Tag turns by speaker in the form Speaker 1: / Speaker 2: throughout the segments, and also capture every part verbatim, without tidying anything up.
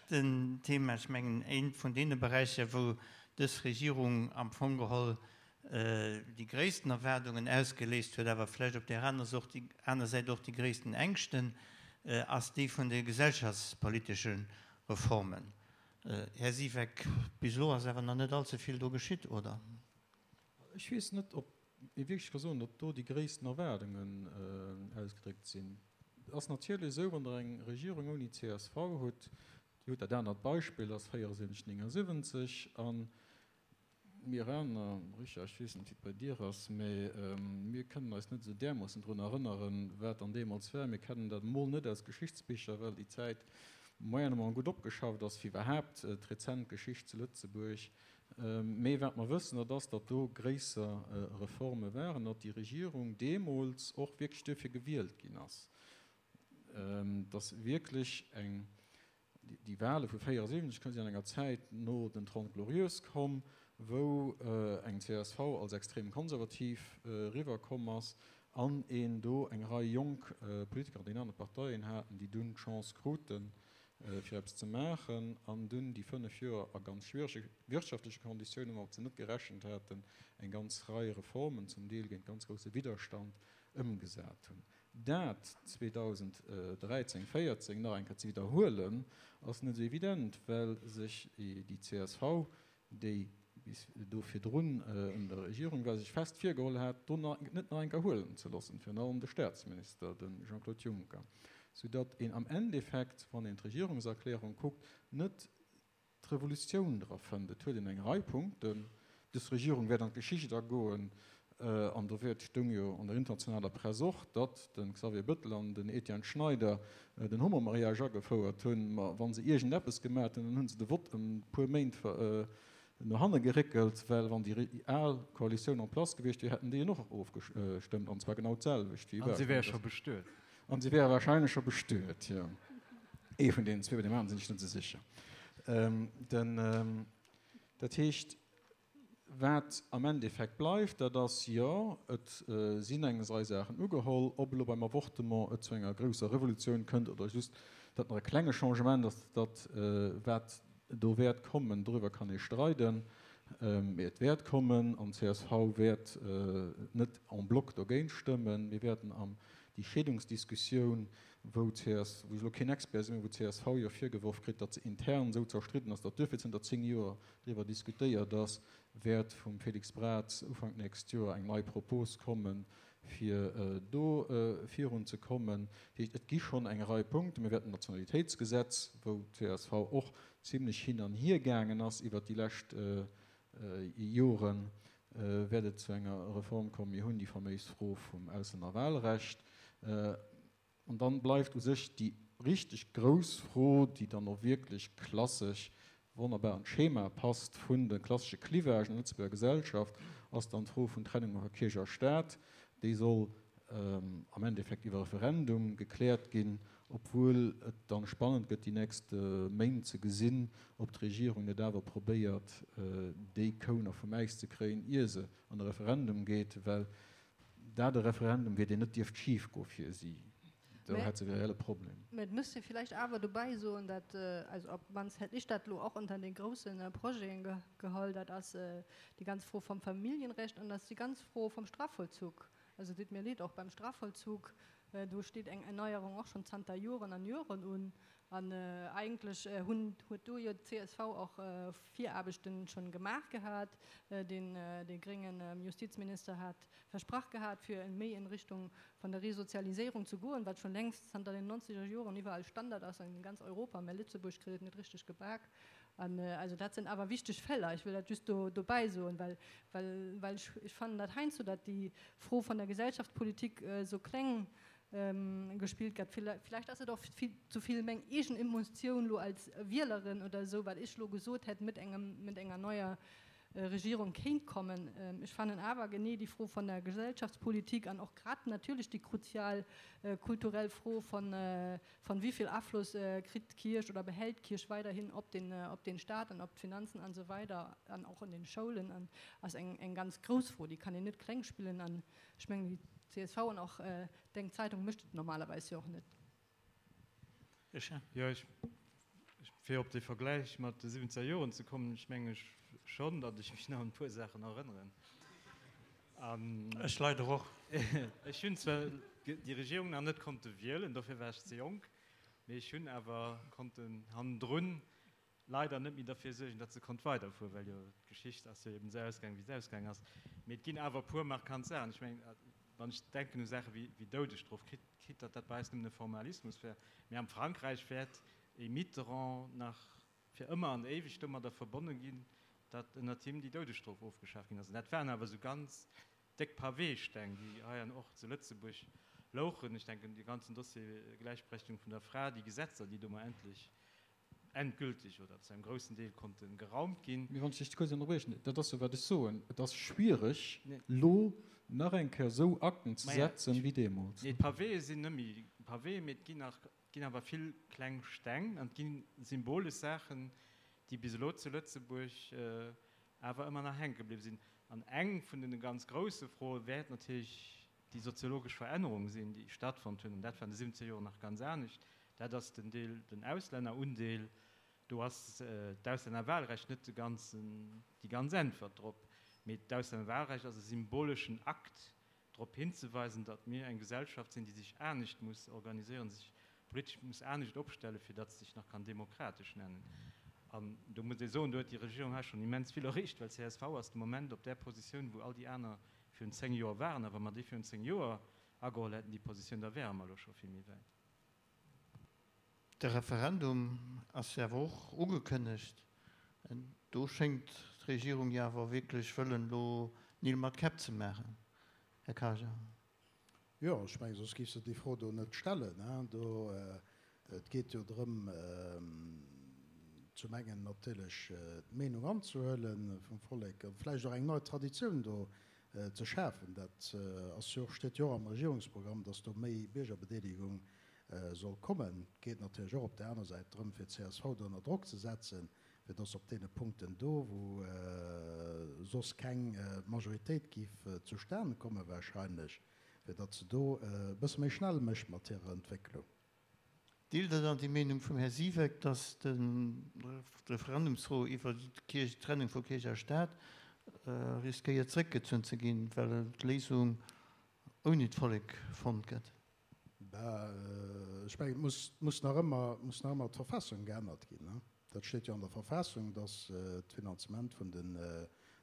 Speaker 1: leschten Thema, ech mengen eent vun deene Beräicher, wou dës Regierung am Fong geholl déi gréissten Erwaardungen ausgeléist huet, awer vläicht op där aner Säit och déi gréissten Ängschten, ass déi vun de gesellschaftspolitesche Reformen. Här Siweck, bis elo ass awer nach net allze vill do geschitt, oder?
Speaker 2: Ech weess net, ob ee wierklech ka soen, datt do déi gréissten Erwaardungen ausgedréckt sinn. Et ass natierlech esou, wann Der eng Regierung ouni C S V hutt, Dir hutt dat anert Beispill, ass véierundsiwwenzeg, néngundsiwwenzeg, a mir aner, Richard, ech weess net, wéi et bei dir ass, mä mir kënnen eis net esou därmoossen drun erënneren, wat dann deemools war. Mir kennen dat emol net aus Geschichtsbicher, well déi Zäit moyennement gutt opgeschafft ass, fir iwwerhaapt d'rezent Geschicht zu Lëtzebuerg. Mee wat mer wëssen, dat ass, datt do gréisser Reforme waren, datt déi Regierung deemools och wierklech duerfir gewielt ginn ass, datt wierklech eng, déi Wahle vu véierundsiwwenzeg sinn an enger Zäit no den Trente Glorieuses komm, wou eng C S V als extrem konservativ eriwwerkomm ass an een do eng Rei jonk Politiker an den anere Parteien haten, déi dunn d'Chance kruten, fir eppes ze maachen an dunn déi fënnef Joer a ganz schwierege wirtschaftleche Konditiounen, woumat se net gerechent haten, eng ganz Rei Reformen, zum Deel géint ganz grousse Widderstand, ëmgesat hunn. Dat zweedausend dräizéng, véierzéng nach eng Kéier ze widderhuelen, ass net esou evident, well sech déi C S V, déi bis do virdrun un der Regierung war, sech fest virgeholl hat, do net nach eng Kéier huelen ze loossen, virun allem de Staatsminister, de Jean-Claude Juncker, soudatt een am Endeffekt, wann een d'Regierungserklärung kuckt, net d'Revolutioun dra fënnt. Et huet een eng Rei Punkten. Dës Regierung wäert an d'Geschicht agoen, an do wäert, stoung jo an der internationaler Press och, datt de Xavier Bettel an den Etienne Schneider den Homomariage agefouert hunn. Ma wa se iergendeppes gemat hunn, dann hu se de Vott ëm e puer Méint no hanne geréckelt, well wann déi al Koalitioun en place gewiescht wier, hätten déi en och ofgestëmmt, an zwar genau d'selwecht
Speaker 3: wéi. An si wäre scho bestuet.
Speaker 2: An si wäre wahrscheinlech scho bestuet, jo. Ee vun deenen zwee, bei deem aneren sinn ech net esou sécher. Den, dat heescht, wat am Endeffekt bleift, dat ass, jo, et sinn eng Rei Saachen ugeholl. Ob elo beim Avortement et zu enger grousser Revolutioun kënnt oder just dat nach e klenge Changement ass, dat wat do wäert kommen, doriwwer kann ee streiden. Mee et wäert kommen an d'C S V wäert net en bloc dogéint stëmmen. Mir wäerten am déi Scheedungsdiskussioun, wou d'C S, wou ech elo keen Expert sinn, mä wou d'C S V jo virgeworf kritt, datt se intern esou zerstridden ass, datt duerfir zënter zéng Joer driwwer diskutéiert ass, wäert vum Félix Braz Ufank d'nächst Joer eng nei Propos kommen, fir do virun ze kommen. Dat heescht, et gi schonn eng Rei Punkten. Mir wäerten d'Nationalitéitsgesetz, wou d'C S V och zimlech hin an hier gaangen ass iwwert déi lescht Joren, wäert et zu enger Reform kommen. Mir hunn déi faméis Fro vum Auslännerwahlrecht. An dann bleift u sech déi richteg grouss Fro, déi dann och wierklech klassesch wonnerbar an d'Schema passt vun de klassesche Clivagen an der Lëtzebuerger Gesellschaft, ass dann d'Fro vun Trennung vu Kierch a Staat. Déi soll am Endeffekt iwwer Referendum gekläert ginn, obwuel et dann spannend gëtt déi nächst Méint ze gesinn, ob d'Regierung net awer probéiert, déi Kou nach vum Äis ze kréien, ier se an e Referendum geet, well dat e Referendum wier, deen net dierft schif goe fir si. Do hätt se e reelle Problem.
Speaker 4: Mä et müsst ee villäicht awer dobäi soen, dat, also op d'mannst hätt ech dat elo och unter den grousse Projeten geholl, dat ass déi ganz Fro vum Familljenrecht an dat ass déi ganz Fro vum Strafvollzug. Also deet mir leed, och beim Strafvollzug, do steet eng Erneierung och schonn zanter Joren an Joren un. An eigentlech hunn, huet do jo d'C S V och Viraarbechten schonn gemaach gehat. Den, dee gréngen Justizminister hat versprach gehat, fir méi in Richtung von der Resozialisierung zu goen, wat schonn längst zanter den nonzeger Joren iwwerall Standard ass an ganz Europa, mä Lëtzebuerg kritt et net richteg gebak. An also dat sinn awer wichteg Feller. Ech wëll dat just do dobäi soen, well, well, well ech, ech fannen dat heiansdo, datt déi Fro von der Gesellschaftspolitik esou kleng gespillt gëtt. Villäicht ass et och vill ze vill meng eegen Emotioun lo als Wielerin oder esou, wat ech lo gesot hätt, mit engem, mit enger neuer Regierung kéint kommen. Ech fannen awer genee déi Fro von der Gesellschaftspolitik an och grad natierlech déi kruzial kulturell Fro von, von wéi vill Afloss kritt d'Kierch oder behält d'Kierch weiderhin op den, op den Staat an op d'Finanzen an esou weider an och an den Schoulen an ass eng, eng ganz grouss Fro, déi kann een net kleng spillen an ech mengen déi C S V an och deng Zeitung mécht et normalerweis jo och net.
Speaker 3: Jo, ech Fir op de Vergläich mat de siwwenzeger Joren ze kommen, ech mengen schonn, datt ech mech nach un e puer Saachen erënneren. An
Speaker 1: Ech leider och.
Speaker 3: Ech hunn zwar déi Regierung nach net konnte wielen, dofir war ech ze jonk, mee ech hunn awer konnten hannendrun leider net méi derfir suergen, datt se konnt weiderfueren, well jo d'Geschicht ass jo eben esou ausgaangen, wéi se ausgaangen ass. Mee et ginn awer e puer markant Saachen. Ech mengen, wann ech denken u Saache wéi Doudesstrof, quitte quitte datt dat bei eis nëmmen e Formalismus wär, mee am Frankräich wäert e Mitterrand nach fir ëmmer an éiweg domadder verbonne ginn, datt ënnert him déi Doudesstrof ofgeschaaft ginn ass. An dat waren awer esou ganz déck Paweesteng, déi hei an och zu Lëtzebuerg louchen. Ech denken, dee ganzen Dossier Gläichberechtigung vun der Fra, déi Gesetzer, déi do mar endlech endgültig oder zu engem groussen Deel konnte geraumt ginn.
Speaker 2: Mee wann ech dech kuerz ënnerbriechen, dat ass jo wat ech soen, et ass schwiereg elo nach eng Kéier esou Akten ze setzen wéi deemools.
Speaker 3: Nee, d'Paweeë sinn net méi Paweeë, mee et ginn nach, et ginn awer vill kleng Steng an et gi symbolesch Saachen, déi bis elo zu Lëtzebuerg awer ëmmer nach hänke bliwwe sinn. An eng vun de ganz grousse Froe wäert natierlech déi soziologesch Verännerung sinn, déi stattfonnt hunn, an dat war an de siwwenzeger Joren nach ganz anescht, dat ass den Deel, den Auslännerundeel. Do ass d'Auslännerwahlrecht net de ganzen, déi ganz Äntwert drop, mee d'Auslännerwahlrecht ass e symboleschen Akt, drop hinzeweisen, datt mir eng Gesellschaft sinn, déi sech anescht muss organiséieren, sech politesch muss anescht opstellen, fir datt se sech nach kann demokratesch nennen. An do muss ee soen, do huet déi Regierung hei schonn immens vill erreecht, well csv ass de Moment op där Positioun, wou all déi aner virun zéng Joer waren. A wa mer déi virun zéng Joer ageholl hätten, déi Positioun, da wäre mer elo scho vill méi wäit.
Speaker 1: De Referendum ass jo awer och ugekënnegt. Do schéngt d'Regierung jo awer wierklech wëllen elo Neel mat Käpp ze maachen, Här Karger.
Speaker 5: Jo, ech mengen, soss géif se déi Fro do net stellen. Do, et geet jo drëm, zum engen natierlech d'Meenung anzehuele vum Vollek a vläicht och eng nei Traditioun do ze schafen. Dat ass jo och, steet jo och am Regierungsprogramm, dass do méi Biergerbedeelegung soll kommen. Et geet natierlech och op där aner Säit drëm, fir d'CSV do ënner Drock ze setzen, fir dass op deene Punkten do, wou soss keng Majoritéit géif zustane komme wahrscheinlech, fir datt se do e bësse méi schnell mécht mat hirer Entwécklung.
Speaker 1: Deelt Der dann déi Meenung vum Här Siweck, dass d'Referendumsfro iwwer d'Trennung vu Kierch a Staat riskéiert zréckgezunn ze ginn, well d'Léisung ouni d'Vollek fonnt gëtt?
Speaker 5: Ben, ech mengen, et muss, muss nach ëmmer, muss nach ëmmer d'Verfassung geännert ginn. Dat steet jo an der Verfassung, dass d'Finanzement vun den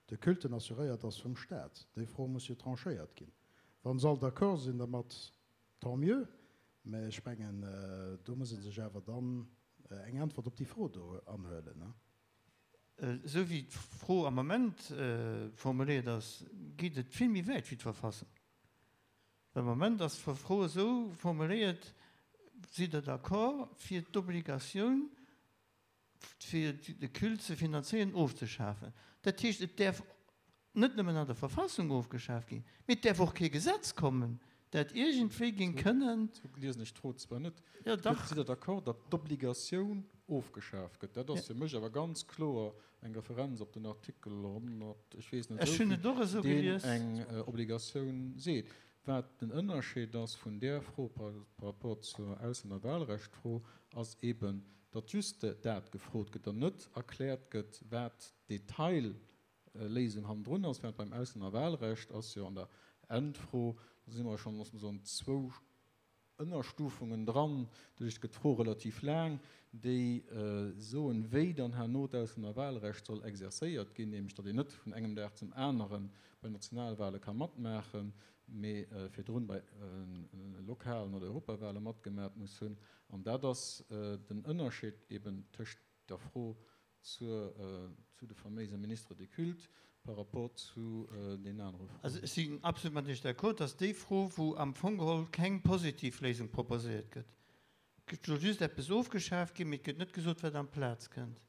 Speaker 5: de Culten assuréiert ass vum Staat. Déi Fro muss jo tranchéiert ginn. Wa se all d'accord sinn dermat, tant mieux, mä ech mengen, do muss ee sech awer dann eng Äntwert op déi Fro do anhuelen.
Speaker 1: Esou wéi d'Fro am Moment formuléiert ass, geet et vill méi wäit wéi d'Verfassung. Well am Moment ass d'Fro esou formuléiert, Sidd Der d'accord, fir d'Obligatioun, fir de Culte ze finanzéieren, ofzeschafen? Dat heescht, et däerf net nëmmen an der Verfassung ofgeschaf ginn, mee et däerf och kee Gesetz kommen, dat iergendwéi géing kënnen.
Speaker 2: Esou liesen ech d'Fro zwar net.
Speaker 1: Jo, dach.
Speaker 2: Sidd Der d'accord, datt d'Obligatioun ofgeschaf gëtt? Dat ass fir mech awer ganz kloer eng Referenz op den Artikel honnert, ech weess net
Speaker 1: Ech hunn et och esou
Speaker 2: esou vill,
Speaker 1: gelies.
Speaker 2: deen eng Obligatioun seet. Wat den Ënnerscheed ass vun där Fro par rapport zur Auslännerwahlrechtfro, ass eeben, datt just dat gefrot gëtt an net erkläert gëtt, wat d'Detailléisung hannendrun ass, während beim Auslännerwahlrecht ass jo an der Endfro, do si mer schonn, loosse mer soen, zwou Ënnerstufungen dran, doduerch gëtt d'Fro relativ laang, déi soen, wéi dann herno d'Auslännerwahlrecht soll exercéiert ginn, nämlech datt een net vun engem Dag zum anere bei Nationalwahle ka matmaachen, mee virdrun bei lokalen oder Europawale matgemat muss hunn. An dat ass den Ënnerscheed eben tëscht der Fro zur, zu de faméise Ministres des cultes par rapport zu deenen anere Froen.
Speaker 1: Also ech sinn absolut mat Iech d'accord, dass déi Fro, wou am Fong geholl keng positiv Léisung proposéiert gëtt, et soll just eppes ofgeschaaft ginn, mee et gëtt net gesot, wat amplaz kënnt.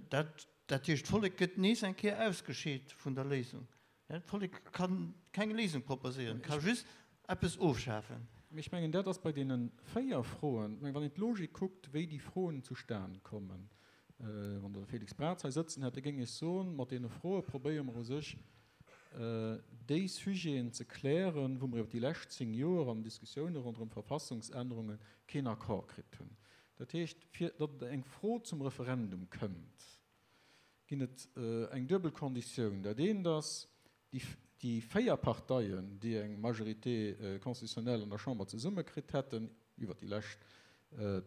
Speaker 1: Dat, dat heescht, d'Vollek gëtt nees eng Kéier ausgescheet vun der Léisung. D'Vollek ka keng Léisung proposéieren, ka just eppes ofschafen.
Speaker 2: Mee ech mengen, dat ass bei deene véier Froen, ech mengen, wann een d'Logik kuckt, wéi déi Froen zustan kommen, wann Der de Félix Braz hei sëtzen hätt, da géing ech soen, mat deene Froe probéiere mer u sech, déi Sujeten ze klären, wou mer iwwer déi lescht zéng Joer an den Diskussioune ronderëm Verfassungsännerunge keen Accord kritt hunn. Dat heescht, fir datt eng Fro zum Referendum kënnt, ginn et eng duebel Konditioun. Dat eent ass, déi, déi véier Parteien, déi eng Majorité constitutionnelle an der Chamber zesummekritt hätten, iwwert déi lescht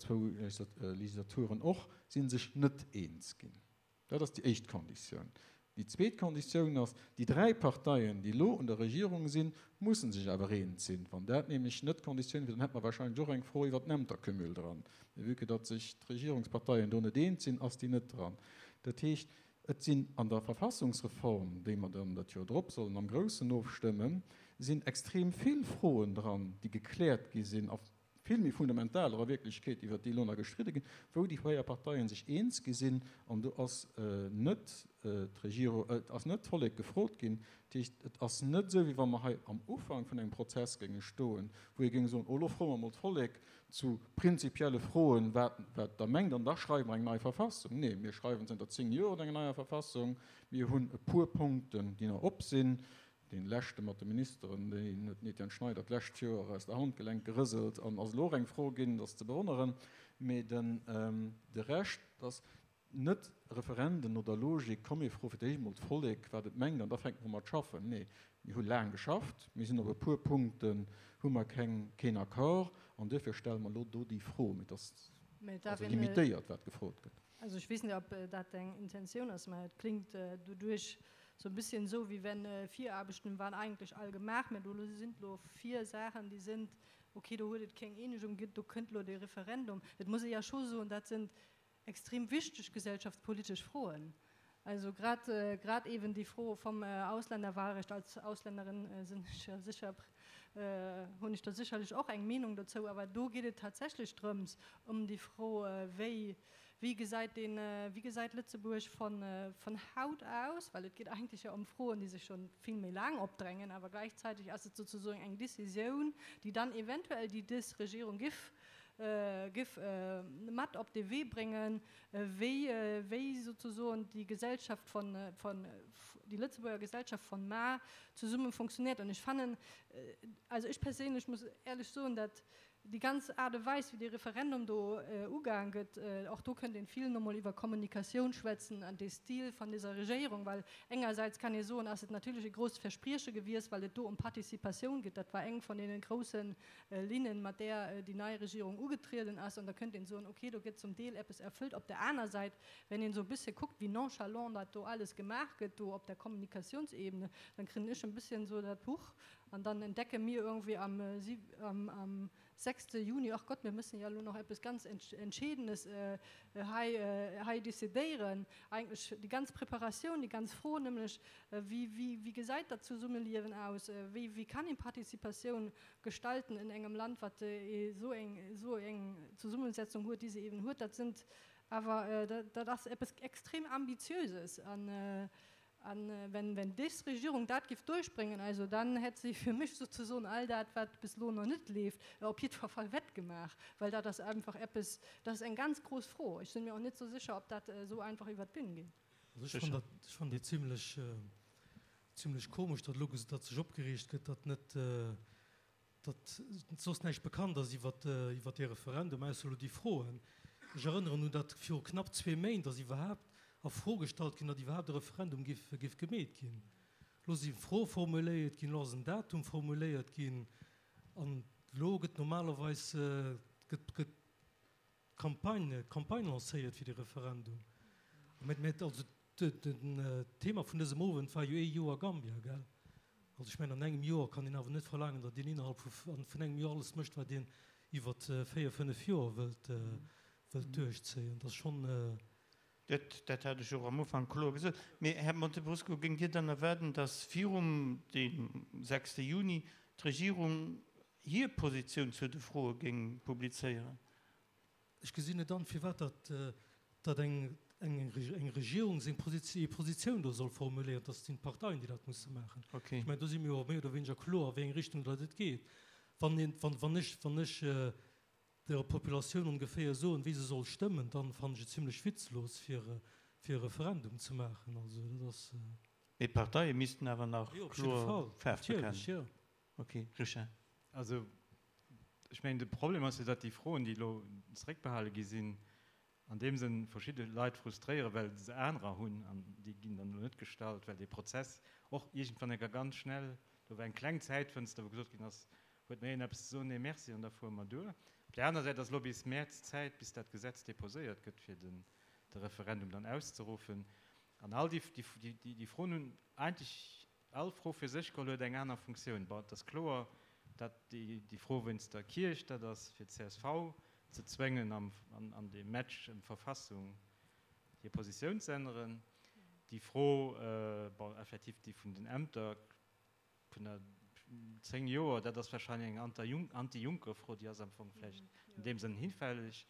Speaker 2: zwou Legislaturen och, si sech net eens ginn. Dat ass déi éischt Konditioun. Déi zweet Konditioun ass, déi dräi Parteien, déi elo un der Regierung sinn, musse sech awer eens sinn. Wann dat nämlech net d'Konditioun wier, dann hätte mer wahrscheinlech och eng Fro iwwert den Ämtercumul dran. Mee vue que datt sech d'Regierungsparteien do net eens sinn, ass déi net dran. Dat heescht, et sinn an der Verfassungsreform, déi mer dann dat Joer drop sollen am Groussen ofstëmmen, sinn extrem vill Froen dran, déi gekläert gi sinn a vill méi fundamentaler a Wierklechkeet, iwwert déi elo nach gestridde ginn, wou déi véier Parteien sech eens gi sinn an do ass net d'Regierung, et ass net d'Vollek gefrot ginn. Dat heescht, et ass net esou, wéi wa mer hei am Ufank vun engem Prozess géinge stoen, wou ee géing soen, oh elo froe mer emol d'Vollek zu prinzipielle Froen, wat wat Der mengt, an da schreiwe mer eng nei Verfassung. Nee, mir schreiwen zënter zéng Joer un enger neier Verfassung. Mir hunn e puer Punkten, déi nach op sinn. Dee leschte mat de Ministeren, deen huet den Etienne Schneider d'lescht Joer aus der Handgelenk gerëselt an ass elo och eng Fro ginn, dat ass ze bewonneren. Mee den, de Rescht ass net Referenden no der Logik, komm mir froe fir d'éischt emol d'Vollek, wat et mengt, an da fänke mer u mat schaffen. Nee, mir hu laang geschafft, mir sinn op e puer Punkten hu mer keng, keen Accord an duerfir stelle mer elo do déi Fro. Mee et ass also limitéiert, wat gefrot gëtt.
Speaker 4: Also ech weess net, ob dat eng Intentioun ass, mä et klingt doduerch sou e bisschen sou, wéi wenn Viraarbechten waren eigentlech all gemaach, mä do sinn elo vier Saachen, déi sinn, okay, do huet et keng Eenegung ginn, do kënnt elo dee Referendum. Et muss ee ja scho soen, dat sinn extrem wichteg gesellschaftspolitesch Froen. Also grad, grad eben déi Fro vum Ausländerwahlrecht, als Ausländerin sinn ech ja sécher, hunn ech da sécherlech och eng Meenung dozou, awer do geet et tatsächlech drëms, ëm déi Fro, wéi, Wéi gesäit deen, wéi gesäit Lëtzebuerg von, von haut aus? Well et geet eigentlech jo ëm Froen, déi sech schon vill méi laang opdrängen, awer gläichzäiteg ass et sozusoen eng Décisioun, déi dann eventuell déi dës Regierung giff, giff mat op de Wee bréngen, wéi, wéi sozusoen déi Gesellschaft von, von, déi Lëtzebuerger Gesellschaft von mar zesumme funktioniert. An ech fannen, also ech perséinlech muss éierlech soen, dat Déi ganz Aart a Weis, wéi dee Referendum do ugaang gëtt, och do kënnt een vill nomol iwwer Kommunikatioun schwätzen an dee Stil van deser Regéierung, well engersäits kann ee soen, ass et natierlech e grousst Versprieche gewiesst, well et do ëm Participatioun geet. Dat war eng van deene grousse Linnen, mat där déi nei Regierung ugetrieden ass. An da kënnt een soen, okay, do gëtt zum Deel eppes erfëllt. Op der aner Säit, wenn een esou e bëssche kuckt, wéi nonchalant dat do alles gemaach gëtt do op der Kommunikatiounsebene, dann kréien ech e bësschen esou dat Huch an dann entdecke mir irgendwie am, am sechste Juni, ach Gott, mir müssen ja elo nach eppes ganz Entscheedendes hei, hei decidéieren. Eigentlech déi ganz Preparatioun, déi ganz Fro nämlech, wéi, wéi, wéi gesäit dat Zesummeliewen aus, wéi, wéi kann een Participatioun gestalten in engem Land, wat esou eng, esou eng Zesummesetzung huet, déi se eben huet, dat sind awer, dat ass eppes extrem Ambitiöses. An, An wenn, wenn des Regierung dat giff duerchbréngen, also dann hätt si fir mech souzesoen all dat, wat bis elo nach net leeft, op jiddwer Fall wettgemaach, well dat ass einfach eppes, dat ass eng ganz grouss Fro. Ech sinn mir och net esou sécher, ob dat esou einfach iwwert d'Bün geet.
Speaker 6: Also ech fannen dat, ech fannen déi zimlech, zimlech komesch, datt elo, datt sech opgereegt gëtt, datt net, datt soss näischt bekannt ass iwwert iwwert dee Referendum, ausser elo déi Froen. Ech erënneren un, datt viru knapp zwee Méint ass iwwerhaapt a Fro gestallt ginn, datt iwwerhaapt e Referendum géif géif gemeet ginn. Elo si Froe formuléiert ginn, elo ass en Datum formuléiert ginn an elo gëtt normalerweis gëtt gëtt d'Campagne d'Campagne lancéiert fir dee Referendum. Mä mä also d'Thema vun dësem Owend war jo ee Joer Gambia, gell? Also ech mengen, an engem Joer kann een awer net verlaangen, datt een innerhalb vun engem Joer alles mécht, wat een iwwer véier, fënnef Joer wëllt wëllt duerchzéien. Dat ass schonn.
Speaker 1: Dat, dat hat ech och am Ufank kloer gesot. Mee, Här Montebrusco, géingt Dir dann erwaarden, datt virum deem sechste Juni d'Regierung hir Positioun zu de Froe géing publizéieren?
Speaker 6: Ech gesinn net an, firwat datt datt eng eng eng Regierung seng hir Positioun do soll formuléieren. Dat sinn d'Parteien, déi dat musse maachen. Ech mengen, do si mir jo méi oder wéineger kloer, a wéi eng Richtung datt et geet. Wann een, wann, wann ech, wann ech der Populatioun ongeféier soen, wéi se soll stëmmen, dann fannen ech et zimlech witzlos, fir fir e Referendum ze maachen. Also dat ass.
Speaker 1: Mee d'Parteie missten awer nach
Speaker 6: Jo, op jidde
Speaker 1: kloer
Speaker 6: Fall,
Speaker 1: Faarf
Speaker 6: natierlech,
Speaker 1: bekennen.
Speaker 6: jo.
Speaker 1: Okay, Richard.
Speaker 3: Also Ech mengen, de Problem ass jo, datt déi Froen, déi elo zeréckbehale gi sinn, an deem Sënn verschidde Leit frustréieren, well se anerer hunn an déi ginn dann elo net gestallt, well dee Prozess och iergendwann enker ganz schnell, do war eng kleng Zäitfënster, wou gesot ginn ass, huet nach een eppes ze soen? Nee, merci, an da fuere mer duer. Op där aner Säit ass elo bis Mäerz Zäit, bis dat Gesetz deposéiert gëtt, fir den de Referendum dann auszeruffen. An all déi, déi, déi Froen hunn eigentlech, all Fro fir sech geholl huet eng aner Funktioun. Bon, et ass kloer, datt déi, déi Fro wéinst der Kierch, dat ass fir d'CSV ze zwéngen, am, an, an deem Match ëm d'Verfassung hir Positioun ze änneren. Déi Fro, bon, effektiv déi vun den Ämter vun der zéng Joer, dat ass wahrscheinlech eng Anti-Juncker-Fro, déi ass am Fong vläicht an deem Sënn hinfälleg.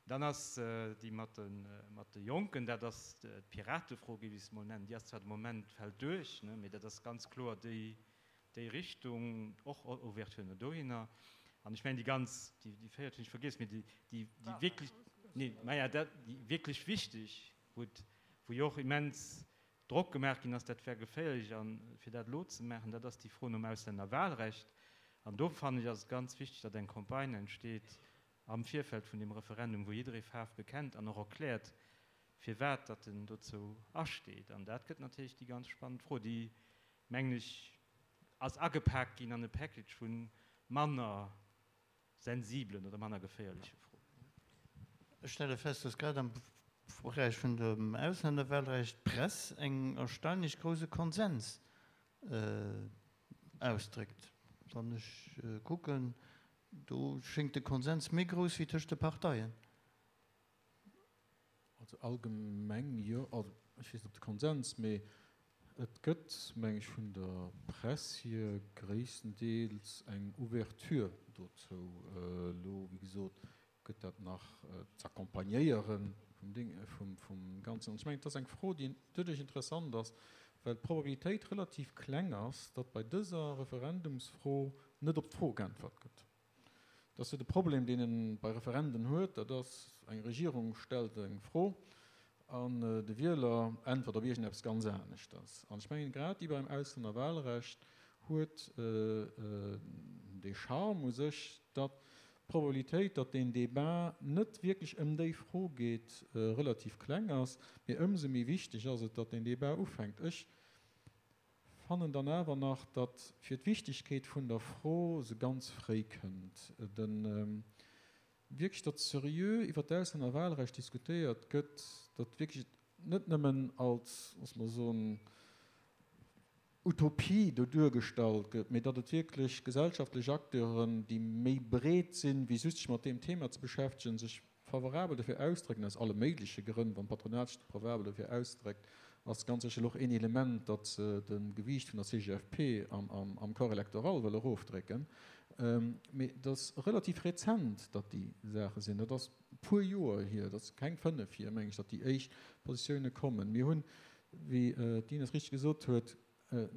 Speaker 3: Dann ass déi mat de, mat de Jonken, dat ass d'Piratefro, géif ech se mol nennen, déi ass zwar de Moment, fält duerch, ne, mee dat ass ganz kloer déi, déi Richtung, och Ouverture no dohinner. An ech mengen, déi ganz, déi, déi véiert hunn ech vergiess, mee déi, déi, déi wierklech, nee, maja, dat, déi wierklech wichteg, wou et, wou jo och immens Drock gemaach ginn ass, dat wär geféierlech a fir dat elo ze maachen, dat ass déi Fro nom Auslännerwahlrecht. An do fannen ech, ass et ganz wichteg, datt eng Campagne entsteet am Virfeld vun deem Referendum, wou jidderee Faarf bekennt an och erkläert, firwat datt en dozou asteet. An dat gëtt natierlech déi ganz spannend Fro, déi, mengen ech, ass agepaakt ginn an e Package vu manner sensiblen oder manner geféierleche Froen.
Speaker 1: Ech stelle fest, dass grad am Beräich vun dem Ausländerwahlrecht d'Press eng erstaunlech grouse Konsens ausdréckt. Wann ech kucken, do schéngt de Konsens méi grouss wéi tëscht de Parteien.
Speaker 2: Also allgemeng jo. Also ech weess net, ob de Konsens, mee et gëtt, meng ech, vun der Press hier gréisstendeels eng Ouverture dozou. Elo, wéi gesot, gëtt dat nach z'accompagnéiere vum Ding, vum, vum Ganzen. An ech mengen, et ass eng Fro, déi doduerch interessant ass, well d'Probabilitéit relativ kleng ass, datt bei dëser Referendumsfro net op d'Fro geäntwert gëtt. Dat ass jo de Problem, deen ee bei Referenden huet, dat ass, eng Regierung stellt eng Fro an de Wieler äntwert op iergendeppes ganz aneschters. An ech mengen, grad déi beim Auslännerwahlrecht huet dee Charme u sech, datt d'Probabilitéit, datt deen Débat net wierklech ëm déi Fro geet, relativ kleng ass. Mee ëmsou méi wichteg ass et, datt deen Débat ufänkt. Ech fannen dann awer nach, datt fir d'Wichtigkeet vun der Fro se ganz fréi kënnt. De wierklech, datt seriö iwwert d'Auslännerwahlrecht diskutéiert gëtt, datt wierklech net nëmmen als, loosse mer soen, Utopie do duergestallt gëtt, mee datt et wierklech gesellschaftlech Acteuren, déi méi breet sinn, wéi just sech mat deem Thema ze beschäftegen, sech favorabel dofir ausdrécken, aus alle méigleche Grënn. Wann d'Patronat sech favorabel dofir ausdréckt, ass ganz sécher och een Element, datt se de Gewiicht vun der C G F P am Corps électoral wëlle erofdrécken. Mee et ass relativ rezent, datt déi Saache sinn. Dat ass e puer Joer hier, dat ass keng fënnef hier, meng ech, datt déi éischt Positioune kommen. Mir hunn, wéi d'Ines richteg gesot huet, e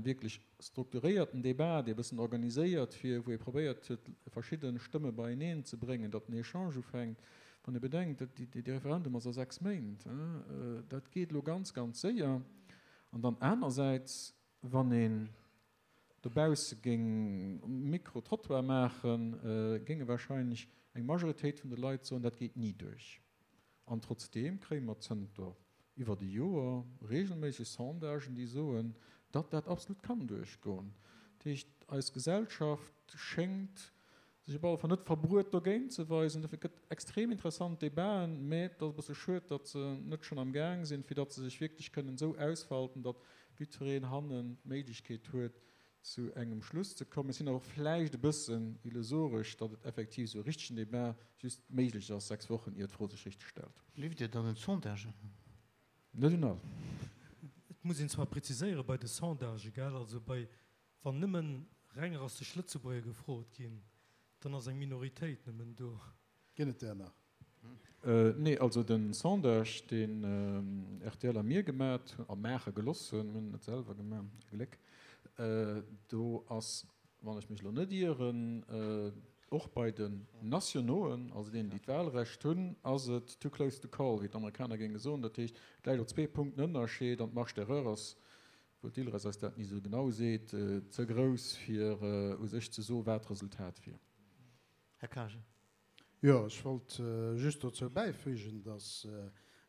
Speaker 2: wierklech strukturéierten Debat, dee e bëssen organiséiert wier, wou ee probéiert huet, verschidde Stëmme beieneen ze bréngen, datt den Echange ufänkt. Wann ee bedenkt, dee Referendum ass a sechs Méint, dat geet elo ganz, ganz séier. An dann anersäits, wann een dobausse géing Micro-trottoir maachen, géinge wahrscheinlech eng Majoritéit vun de Leit soen, dat geet ni duerch. An trotzdeem kréie mer zënter iwwert e Joer reegelméisseg Sondagen, déi soen, datt dat absolut kann duerchgoen. Dat heescht, eis Gesellschaft schéngt sech op alle Fall net verbruet dogéint ze weisen. Dofir gëtt extrem interessant Debaten, mä et ass e bësse schued, datt se net schonn am Gaang sinn, fir datt se sech wierklech kënnen esou ausfalten, datt jiddwereen hannen d'Méiglechkeet huet, zu engem Schluss ze kommen. Ech sinn awer och vläicht e bëssen illusoresch, datt et effektiv esou e richtegen Debat just méiglech ass sechs Wochen, ier d'Fro sech richteg stellt.
Speaker 1: Gleeft Dir dann un d'Sondagen?
Speaker 2: Net un all.
Speaker 6: Et muss een zwar präziséiere bei de Sondagë, gell, also bei, wann nëmmen reng rassesch Lëtzebuerger gefrot ginn, dann ass eng Minoritéit nëmmen do.
Speaker 5: Ginn et där nach?
Speaker 2: Nee, also de Sondage, deen R T L a mir gemat a maache geloss hunn, mir hunn en net selwer gemaach, ee Gléck, do ass, wann ech mech elo net ieren, och bei den Nationauxen, also deenen, déi d'Wahlrecht hunn, ass et too close to call, wéi d'Amerikaner géinge soen. Dat heescht, et läit op zwee Punkten Ënnerscheed an d'Marge d'erreur ass obwuel d'ILRES eis dat ni esou genau seet, ze grouss, fir u sech ze soen, wat d'Resultat wier.
Speaker 1: Här Karger.
Speaker 5: Jo, ech wollt just dozou bäifügen, dass,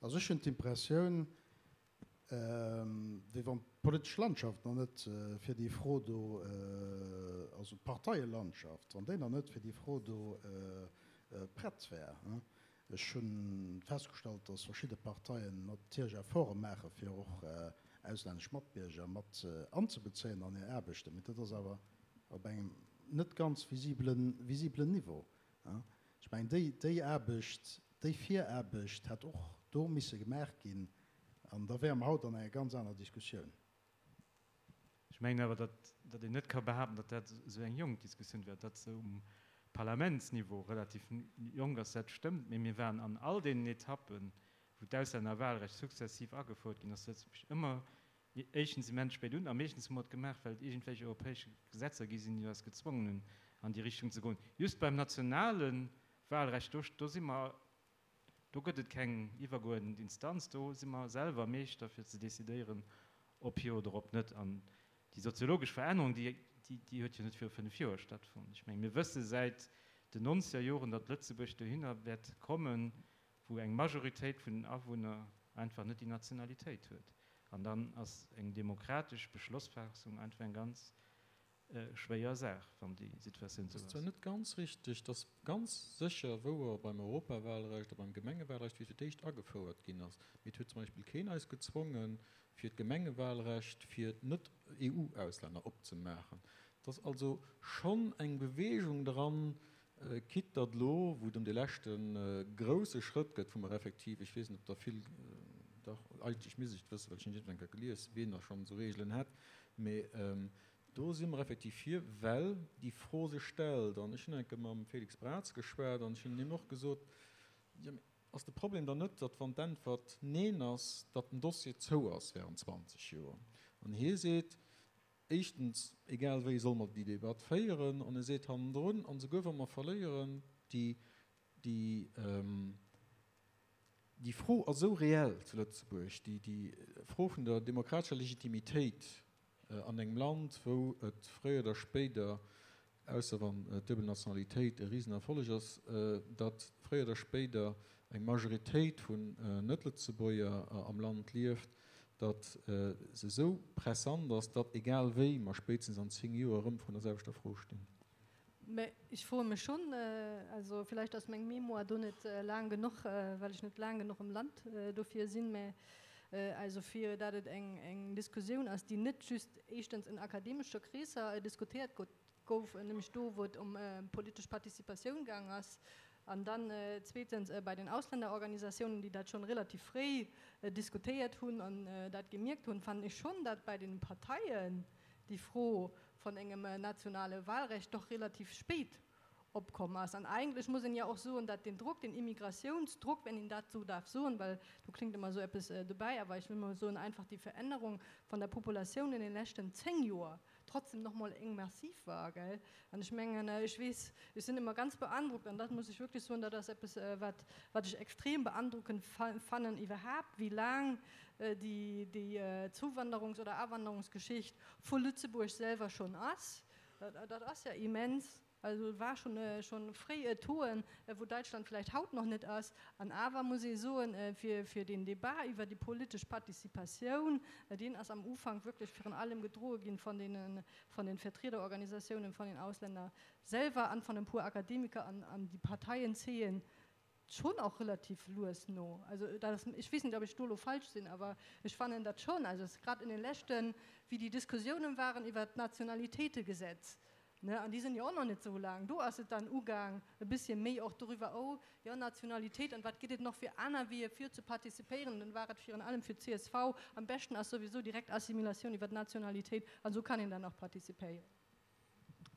Speaker 5: also ech hunn d'Impressioun, wéi wann d'politesch Landschaft nach net fir déi Fro do, also d'Parteielandschaft, wann déi nach net fir déi Fro do prett wär. Ech hu festgestallt, dass verschidde Parteien natierlech Efforte maache fir och auslännesch Matbierger mat anzebezéien an hir Aarbechten, mee dat ass awer op engem net ganz visibelen, visibelen Niveau. Ech mengen, déi, déi Aarbecht, déi Viraarbecht hätt och do misse gemaach ginn an da wäre mer haut an enger ganz aner Diskussioun.
Speaker 3: Ech mengen awer, datt, datt een net ka behaapten, datt dat esou eng jonk Diskussioun wär, datt se um Parlamentsniveau relativ jonk ass, dat stëmmt, mee mir waren an all deenen Etappen, wou d'Auslännerwahlrecht sukzessiv agefouert ginn ass, Lëtzebuerg ëmmer éischtens immens spéit un a meeschtens hu mer et gemaach, well et iergendwelch europäesch Gesetzer gi sinn, déi eis gezwongen hunn, an déi Richtung ze goen. Just beim nationale Wahlrecht, do, do si mer, do gëtt et keng iwwergeuerdent Instanz, do si mer selwer Meeschter fir ze decidéieren, ob jo oder ob net. An déi soziologesch Verännerung, déi, déi, déi huet jo net viru fënnef Joer stattfonnt. Ech mengen, mir wësse säit den nonzeger Joren, datt Lëtzebuerg dohinner wäert kommen, wou eng Majoritéit vun den Awunner einfach net déi Nationalitéit huet. An dann ass eng demokratesch Beschlossfaassung einfach eng ganz schwéier Saach, wann déi Situatioun
Speaker 2: Dat
Speaker 3: esou
Speaker 2: ass zwar
Speaker 3: ass.
Speaker 2: net ganz richteg. Et ass ganz sécher wouer beim Europawahlrecht a beim Gemengewahlrecht, wéi fir d'éischt agefouert ginn ass. Mee et huet zum Beispill keen eis gezwongen, fir d'Gemengewahlrecht fir d'Net-E U-Auslänner opzemaachen. Et ass also schonn eng Bewegung dran, quitte datt elo, wou et ëm dee leschte grousse Schrëtt gëtt, wou mer effektiv, ech weess net, ob der vill, dach, eigentlech misst ech et wëssen, well ech hunn et iergendwann gelies, wien da schonn esou Reegelen hätt, mee do si mer effektiv vir, well déi Fro sech stellt. An ech hunn eng Kéier mam Félix Braz geschwat an ech hunn him och gesot, jo, mee ass de Problem dann net, datt wann d'Äntwert Neen ass, datt den Dossier zou ass während zwanzeg Joer? An hie seet, éischtens, egal wéi solle mer déi Debatt féieren, an e seet hannendrun, an esouguer wa mer verléieren, déi, déi, déi Fro ass esou reell zu Lëtzebuerg, déi, déi Fro vun der demokratescher Legitimitéit an engem Land, wou et fréier oder spéider, ausser wann d'duebel Nationalitéit e Risenerfolleg ass, datt fréier oder spéider eng Majoritéit vun Net-Lëtzebuerger am Land lieft, datt se esou pressant ass, datt egal wéi mer spéitstens an zéng Joer erëm vrun der selwechter Fro stinn.
Speaker 4: Mä ech froe mech schonn, also vläicht ass meng Mémoire do net laang genuch, well ech net laang genuch am Land dofir sinn, mä also fir dat et eng, eng Diskussioun ass, déi net just éischtens in akademesche Kreesser diskutéiert gouf, nämlech do, wou et ëm politesch Participatioun gaang ass, an dann zweetens bei den Ausländerorganisatiounen, déi dat schonn relativ fréi diskutéiert hunn an dat gemierkt hunn, fannen ech schonn, dat bei den Parteien déi Fro vun engem nationale Wahlrecht doch relativ spéit opkomm ass. An eigentlech muss een jo och soen, datt den Drock, den Immigratiounsdruck, wenn een dat sou darf soen, well do klingt ëmmer sou eppes dobäi, awer ech wëll mol soen, einfach déi Verännerung vun der Populatioun in den leschten zéng Joer trotzdem noch mol eng massiv war, gell? An ech mengen, ech weess, ech sinn ëmmer ganz beandrockt, an dat muss ech wierklech soen, dat ass eppes, wat, wat ech extrem beandrockend fannen iwwerhaapt, wéi laang déi, déi Zuwanderungs- oder Awanderungsgeschicht vu Lëtzebuerg selwer schonn ass. Dat, dat ass ja immens. Also war schon, äh, schon fréi äh, Toen, äh, wou Däitschland vläicht haut nach net ass. An awer muss ee soen, äh, fir, fir den Debat iwwer déi politesch Participatioun, äh, deen ass am Ufank wierklech virun allem gedroe ginn von den, von den Vertriederorganisatiounen, von den Ausländer selwer an von e puer Akademiker an, an déi Parteien zéien schon och relativ lues no. Also dat ass, ech weess net, ob ech do lo falsch sinn, awer ech fannen dat schon. Also es grad in den leschten, wéi déi Diskussiounen waren iwwer d'Nationalitéitegesetz, ne, an déi sinn jo och nach net sou laang, do ass et dann ugaang e bësschen méi och doriwwer, oh jo, Nationalitéit an wat gëtt et nach fir aner Weeër fir ze participéieren, dann war et virun allem fir d' C S V am beschten ass souwisou direkt Assimilatioun iwwer d'Nationalitéit an sou kann een dann och participéieren.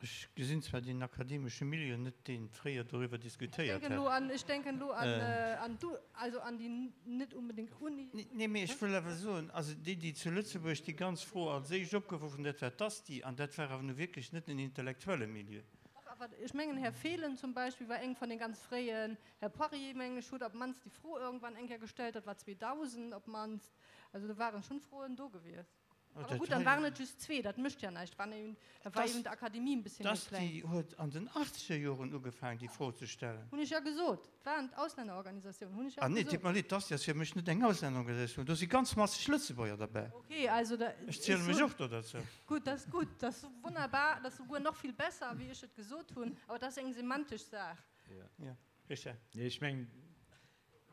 Speaker 1: Ech gesinn zwar den akademesche Milieu net, dee fréier doriwwer diskutéiert
Speaker 4: Ech denken
Speaker 1: hätt.
Speaker 4: Lo an, ech denken lo an, äh, an du, also an déi net unbedingt Uni.
Speaker 1: Nee, mee ech wëll awer soen, also déi, déi zu Lëtzebuerg déi ganz Fro als éischt opgeworf hunn, dat war d'ASTI, an dat war awer nu wierklech net en intellektuelle Milieu.
Speaker 4: Dach, awer ech mengen, Här Fehlen zum Beispill war eng vun de ganz fréien, Här Poirier, mengen ech, huet op d'mannst déi Fro iergendwann eng Kéier gestallt, dat war zweedausend op d'mannst. Also do waren schonn Froen do gewiescht. Aber gut, dann waren et just zwee, dat mécht ja näischt. Waren eben, da war eben d'Akademie en bisschen méi kleng.
Speaker 1: D'ASTI huet an den achtzeger Joren ugefaangen, déi Fro ze stellen.
Speaker 4: Hunn ech ja gesot. Et waren d'Auslännerorganisatiounen, hunn ech ja
Speaker 1: Ah nee,
Speaker 4: gesot.
Speaker 1: deet mer leed, d'ASTI ass fir mech net eng Auslännerorganisatioun. Do si ganz masseg Lëtzebuerger derbäi.
Speaker 4: Okay, also da,
Speaker 1: Ech ziele
Speaker 4: ech
Speaker 1: mech
Speaker 4: soen,
Speaker 1: och do derzou.
Speaker 4: Gut, dat ass gutt, dat ass wunnerbar, dat ass souguer nach vill besser, wéi ech et gesot hunn, awer dat ass eng semantesch Saach.
Speaker 3: Ja.
Speaker 1: Ja, Richard.
Speaker 3: Nee, ech mengen,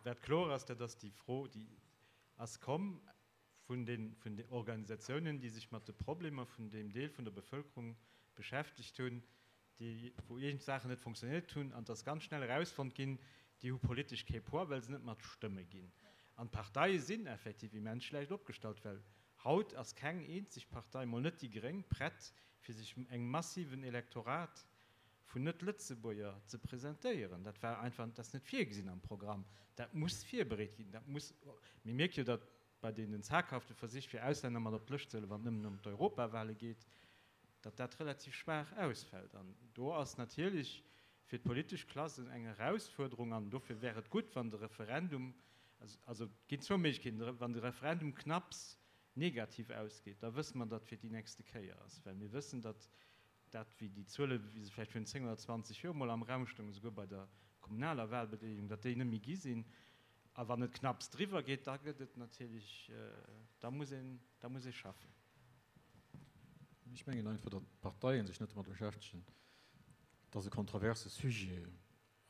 Speaker 3: wat kloer ass, dat ass déi Fro, déi ass komm vun den, vun den Organisatiounen, déi sech mat de Problemer vun deem Deel vun der Bevëlkerung beschäftegt hunn, déi, wou iergend Saachen net funktionéiert hunn, an et ass ganz schnell erausfonnt ginn, déi hu politesch kee Poids, well se net mat Stëmme ginn. An d'Parteie sinn effektiv immens schlecht opgestallt, well haut ass keng eenzeg Partei, mol net déi Gréng, prett, fir sech engem massiven Elektorat vun Net-Lëtzebuerger ze presentéieren. Dat war einfach, dat ass net virgesinn am Programm. Dat muss virbereet ginn. Dat muss, mir mierke jo, datt bei deenen zaghafte Versich, fir Auslänner mat op d'Lëscht ze huelen, wann et nëmmen ëm d'Europawale geet, datt dat relativ schwaach ausfält. An do ass natierlech fir d'politesch Klass eng Erausfuerderung, an dofir wär et gutt, wann de Referendum, also et ginn zwou Méiglechkeeten, wann de Referendum knapps negativ ausgeet, da wësse mer, datt fir déi nächste Kéier ass, well mir wëssen, datt dat, wéi déi Zuele wéi se vläicht virun zéng oder zwanzeg Joer mol am Raum stoungen, esouguer bei der kommunaler Wahlbedeelegung, datt déi net méi gi sinn. A wann et knapps driwwer geet, da gëtt et natierlech, da muss een, da muss ee schaffen.
Speaker 2: Ech mengen einfach, datt d'Parteien sech net domat beschäftegen. Et ass e kontroverse Sujet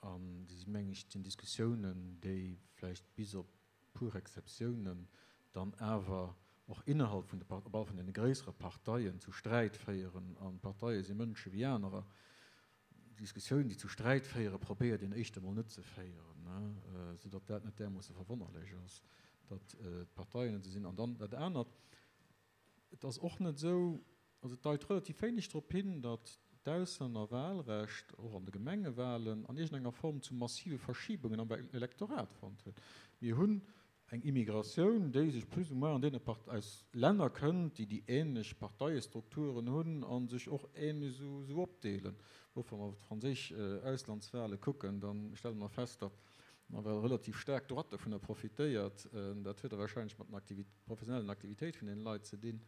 Speaker 2: an déi, mengen ech, sinn Diskussiounen, déi vläicht bis op puer Exceptiounen dann awer och innerhalb vun de, op alle Fall vun deene gréissere Parteien zu Sträit féieren. An d'Parteie si Mënsche wéi anerer. Diskussiounen, déi zu Sträit féieren, probéiert een éischt emol net ze féieren, soudatt dat net därmoosse verwonnerlech ass, datt d'Parteien net esou sinn. An dann dat anert, et ass och net esou, also et deit relativ wéineg drop hin, datt d'Auslännerwahlrecht och an de Gemengewahlen an iergendenger Form zu massive Verschibungen am Elektorat fonnt huet. Mir hunn eng Immigratioun, déi sech plus ou moins an deene Part aus Länner kënnt, déi déi ähnlech Parteiestrukturen hunn a sech och ähnlech esou opdeelen. Och wa mer op d'franséisch Auslandswahle kucken, da stelle mer fest, datt nawell relativ staark d'Droite dovunner profitéiert. Dat huet da wahrscheinlech mat den professionellen Aktivitéit vun deene Leit ze dinn.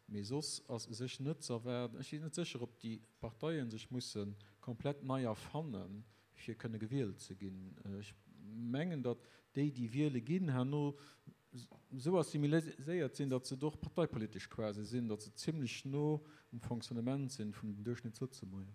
Speaker 2: Mee soss ass u sech net ze erwaarden, ech sinn net sécher, ob déi Parteie sech musse komplett nei erfannen, fir kënne gewielt ze ginn. Ech mengen, datt déi, déi wiele ginn, herno esou assimiléiert sinn, datt se et och parteipolitesch quasi sinn, datt se zimlech no um Fonctionnement sinn vum Duerchschnittslëtzebuerger.